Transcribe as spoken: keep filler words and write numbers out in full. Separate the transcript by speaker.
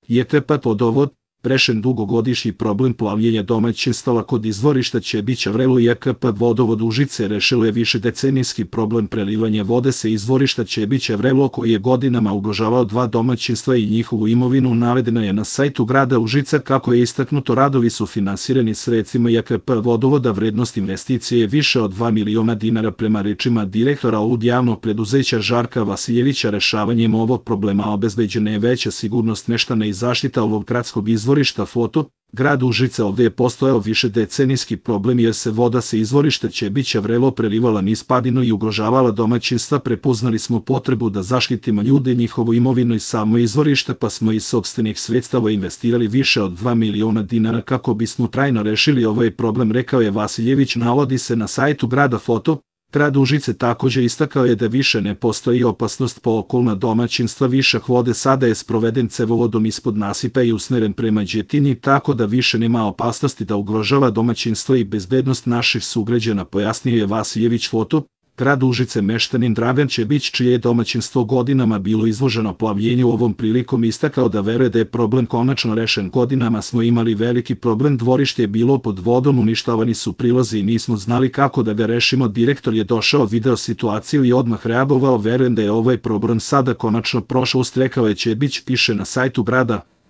Speaker 1: je K P vodovod rešen dugogodišnji problem plavljenja domaćinstava kod izvorišta Ćebića Vrelo i K P vodovod Užice rešilo je višedecenijski problem prelivanja vode sa izvorišta Ćebića Vrelo koji je godinama ugrožavao dva domaćinstva i njihovu imovinu. Navedeno je na sajtu grada Užica. Kako je istaknuto, radovi su finansirani sredstvima J K P vodovoda. Vrednost investicije je više od dva miliona dinara. Prema rečima direktora ovog javnog preduzeća Žarka Vasiljevića, rešavanjem ovog problema obezbeđena je veća sigurnost meštana i zaštita ovog gradskog izvorišta. Foto, grad Užice. Ovdje je postojao višedecenijski problem jer se voda sa izvorišta Ćebića Vrelo prelivala niz padinu i ugrožavala domaćinstva. Prepoznali smo potrebu da zaštitimo ljude, njihovu imovinu i samo izvorište, pa smo iz sopstvenih sredstava investirali više od dva miliona dinara kako bismo trajno rešili ovaj problem, rekao je Vasiljević. Navodi se na sajtu grada. Foto, grad Užice također istakao je da više ne postoji opasnost po okolna domaćinstva. Višak vode sada je sproveden cevovodom ispod nasipa i usmeren prema Đetini, tako da više nema opasnosti da ugrožava domaćinstvo i bezbednost naših sugrađana, pojasnio je Vasiljević. Foto, grad Užice. Meštanin Dragan Ćebić, čije je domaćinstvo godinama bilo izloženo plavljenju, ovom prilikom istakao da veruje da je problem konačno rešen. Godinama smo imali veliki problem, dvorište je bilo pod vodom, uništavani su prilazi i nismo znali kako da ga rešimo. Direktor je došao, video situaciju i odmah reagovao. Verujem da je ovaj problem sada konačno prošao, rekao je Ćebić, piše na sajtu grada.